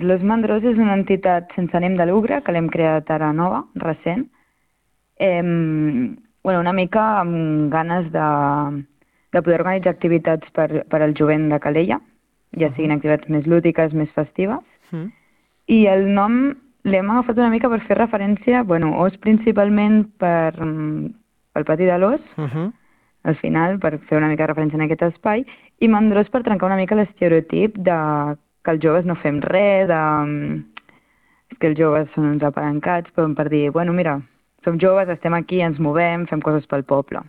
Los Mandrós és una entitat sense ànim de lucre que l'hem creat ara nova, recent. Una mica amb ganes de poder organitzar activitats per al jovent de Calella, ja siguin activitats més lúdiques, més festives. I el nom l'hem agafat una mica per fer referència, Os principalment pel pati de l'Os, al final, per fer una mica de referència en aquest espai, i Mandrós per trencar una mica l'estereotip de que els joves no fem res, que els joves són uns apalancats, però per dir, mira, som joves, estem aquí, ens movem, fem coses pel poble.